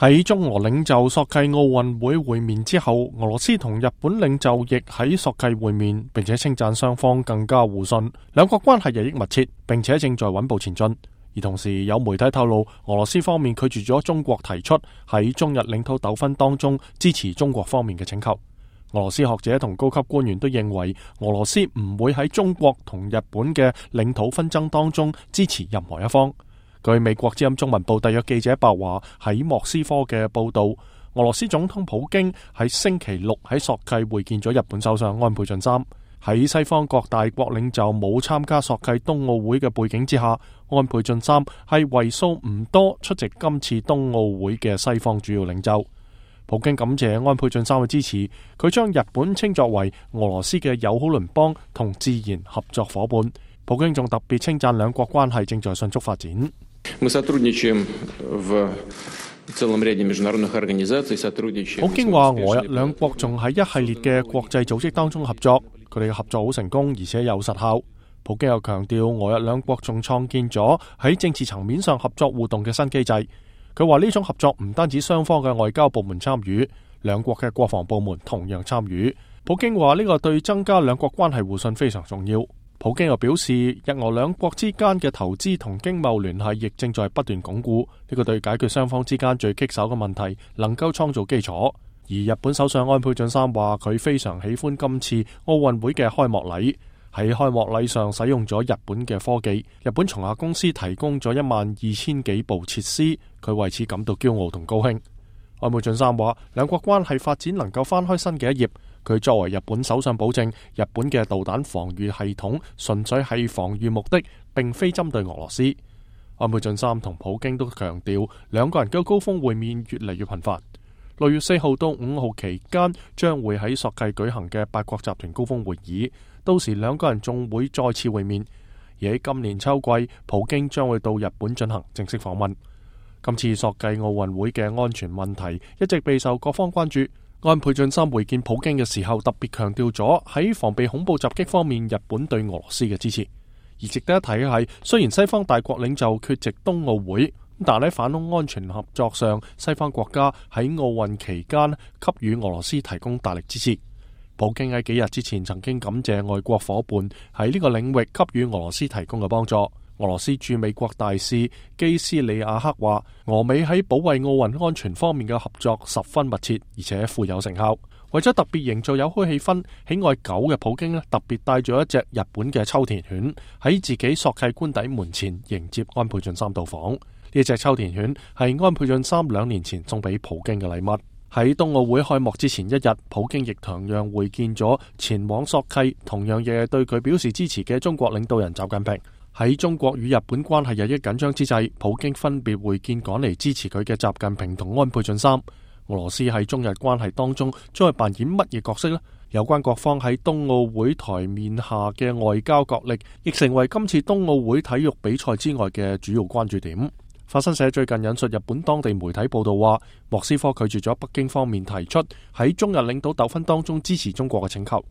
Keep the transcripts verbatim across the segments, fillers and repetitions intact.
喺中俄領袖索契奧運會會面之後，俄羅斯同日本領袖亦喺索契會面，並且稱讚雙方更加互信，兩國關係日益密切，並且正在穩步前進。而同時有媒體透露，俄羅斯方面拒絕咗中國提出喺中日領土糾紛當中支持中國方面嘅請求。俄羅斯學者同高級官員都認為，俄羅斯唔會喺中國同日本嘅領土紛爭當中支持任何一方。據美國之音中文部特約記者白華喺莫斯科嘅報道，俄羅斯總統普京喺星期六喺索契會見咗日本首相安倍晉三。喺西方各大國領袖冇參加索契冬奧會嘅背景之下，安倍晉三係為數唔多出席今次冬奧會嘅西方主要領袖。普京感謝安倍晉三嘅支持，佢將日本稱作為俄羅斯嘅友好鄰邦同自然合作伙伴。普京仲特別稱讚兩國關係正在迅速發展。普京話俄日兩國仲喺一系列嘅國際組織當中合作，佢哋嘅合作好成功而且有實效。普京又強調俄日兩國仲創建咗喺政治層面上合作互動嘅新機制。佢話呢種合作唔單止雙方嘅外交部門參與，兩國嘅國防部門同樣參與。普京話呢個對增加兩國關係互信非常重要。普京又表示，日俄兩國之間嘅投資同經貿聯繫亦正在不斷鞏固，呢個對解決雙方之間最棘手嘅問題能夠創造基礎。而日本首相安倍晉三話佢非常喜歡今次奧運會嘅開幕禮，喺開幕禮上使用咗日本嘅科技，日本松下公司提供咗一萬二千幾部設施，佢為此感到驕傲同高興。安倍晉三話兩國關係發展能夠翻開新嘅一頁。佢作為日本首相保證，日本嘅導彈防禦系統純粹係防禦目的，並非針對俄羅斯。安倍晉三同普京都強調，兩個人嘅高峰會面越嚟越頻繁。六月四號到五號期間將會喺索契舉行嘅八國集團高峰會議，到時兩個人仲會再次會面。而喺今年秋季，普京將會到日本進行正式訪問。今次索契奧運會嘅安全問題一直備受各方關注。安倍晉三會見普京嘅時候，特別強調咗喺防備恐怖襲擊方面，日本對俄羅斯嘅支持。而值得一提嘅係，雖然西方大國領袖缺席冬奧會，但喺反恐安全合作上，西方國家喺奧運期間給予俄羅斯提供大力支持。普京喺幾日之前曾經感謝外國夥伴喺呢個領域給予俄羅斯提供嘅幫助。俄羅斯駐美國大使基斯里亞克話，俄美喺保衛奧運安全方面嘅合作十分密切，而且富有成效。為咗特別營造友好氣氛，喜愛狗嘅普京咧，特別帶咗一隻日本嘅秋田犬喺自己索契官邸門前迎接安倍晉三到訪。呢隻秋田犬係安倍晉三兩年前送俾普京嘅禮物。喺冬奧會開幕之前一日，普京亦同樣會見咗前往索契，同樣亦對佢表示支持嘅中國領導人習近平。喺中國與日本關係日益緊張之際，普京分別會見趕嚟支持佢嘅習近平同安倍晉三。俄羅斯喺中日關係當中將會扮演乜嘢角色呢？有關各方喺冬奧會台面下嘅外交角力，亦成為今次冬奧會體育比賽之外嘅主要關注點。法新社最近引述日本當地媒體報道話，莫斯科拒絕咗北京方面提出喺中日領土糾紛當中支持中國嘅請求。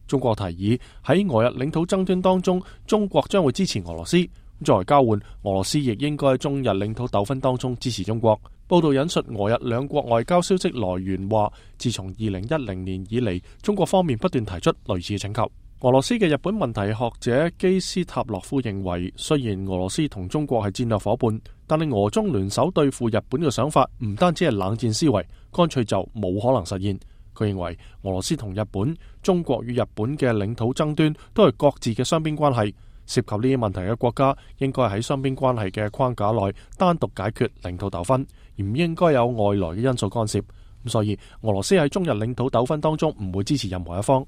中國提議喺俄日領土爭端當中，中國將會支持俄羅斯，作為交換，俄羅斯亦應該喺中日領土糾紛當中支持中國。報道引述俄日兩國外交消息來源話，自從二零一零年以嚟，中國方面不斷提出類似嘅請求。俄羅斯嘅日本問題學者基斯塔洛夫認為，雖然俄羅斯同中國係戰略夥伴，但係俄中聯手對付日本嘅想法唔單止係冷戰思維，乾脆就冇可能實現。佢認為俄羅斯同日本、中國與日本嘅領土爭端都係各自嘅雙邊關係，涉及呢啲問題嘅國家應該喺雙邊關係嘅框架內單獨解決領土糾紛，而唔應該有外來嘅因素干涉。咁所以俄羅斯喺中日領土糾紛當中唔會支持任何一方。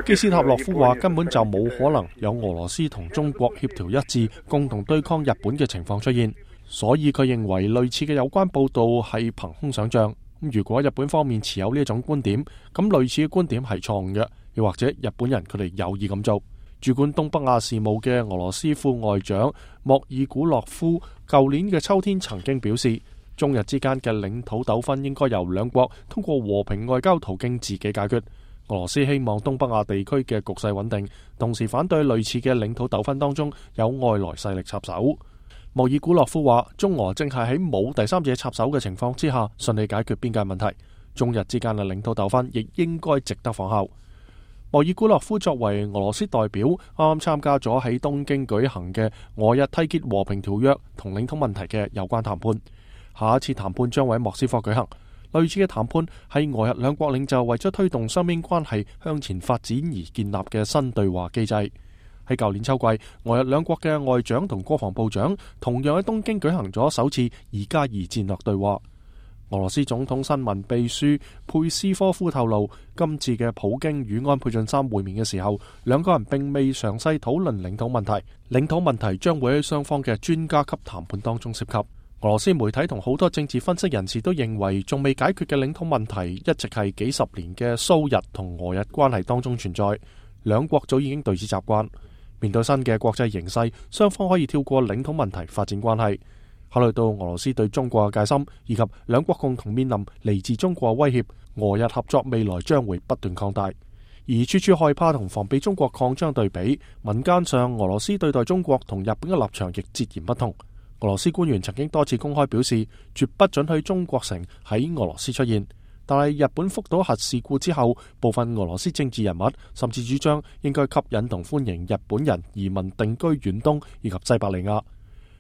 基斯塔洛夫話根本就冇可能有俄羅斯同中國協調一致，共同對抗日本嘅情況出現。所以佢認為類似嘅有關報道係憑空想象。如果日本方面持有呢一種觀點，咁類似嘅觀點係錯誤嘅，又或者日本人佢哋有意咁做。主管東北亞事務嘅俄羅斯副外長莫爾古洛夫舊年嘅秋天曾經表示，中日之間嘅領土糾紛應該由兩國通過和平外交途徑自己解決。俄羅斯希望東北亞地區嘅局勢穩定，同時反對類似嘅領土糾紛當中有外來勢力插手。莫爾古洛夫話，中俄正係喺冇第三者插手嘅情況之下順利解決邊界問題，中日之間嘅領土糾紛亦應該值得仿效。莫爾古洛夫作為俄羅斯代表，啱啱參加咗喺東京舉行嘅俄日締結和平條約同領土問題嘅有關談判。下一次談判將會喺莫斯科舉行。類似嘅談判係俄日兩國領袖為咗推動雙邊關係向前發展而建立嘅新對話機制。喺舊年秋季，俄日兩國嘅外長同國防部長同樣喺東京舉行咗首次二加二戰略對話。俄羅斯總統新聞秘書佩斯科夫透露，今次嘅普京與安倍晉三會面嘅時候，兩個人並未詳細討論領土問題，領土問題將會喺雙方嘅專家級談判當中涉及。俄羅斯媒體同好多政治分析人士都認為，仲未解決嘅領土問題一直係幾十年嘅蘇日同俄日關係當中存在，兩國早已經對此習慣。面對新嘅國際形勢，雙方可以跳過領土問題發展關係。考慮到俄羅斯對中國嘅戒心，以及兩國共同面臨嚟自中國威脅，俄日合作未來將會不斷擴大。而處處害怕同防備中國擴張對比，民間上俄羅斯對待中國同日本嘅立場亦截然不同。俄羅斯官員曾經多次公開表示，絕不准許中國城喺俄羅斯出現。但係日本福島核事故之後，部分俄羅斯政治人物甚至主張應該吸引同歡迎日本人移民定居遠東以及西伯利亞。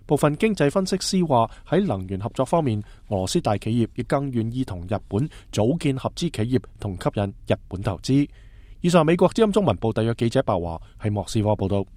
部分經濟分析師話，喺能源合作方面，俄羅斯大企業亦更願意同日本組建合資企業同吸引日本投資。以上美國之音中文部特約記者白華喺莫斯科報道。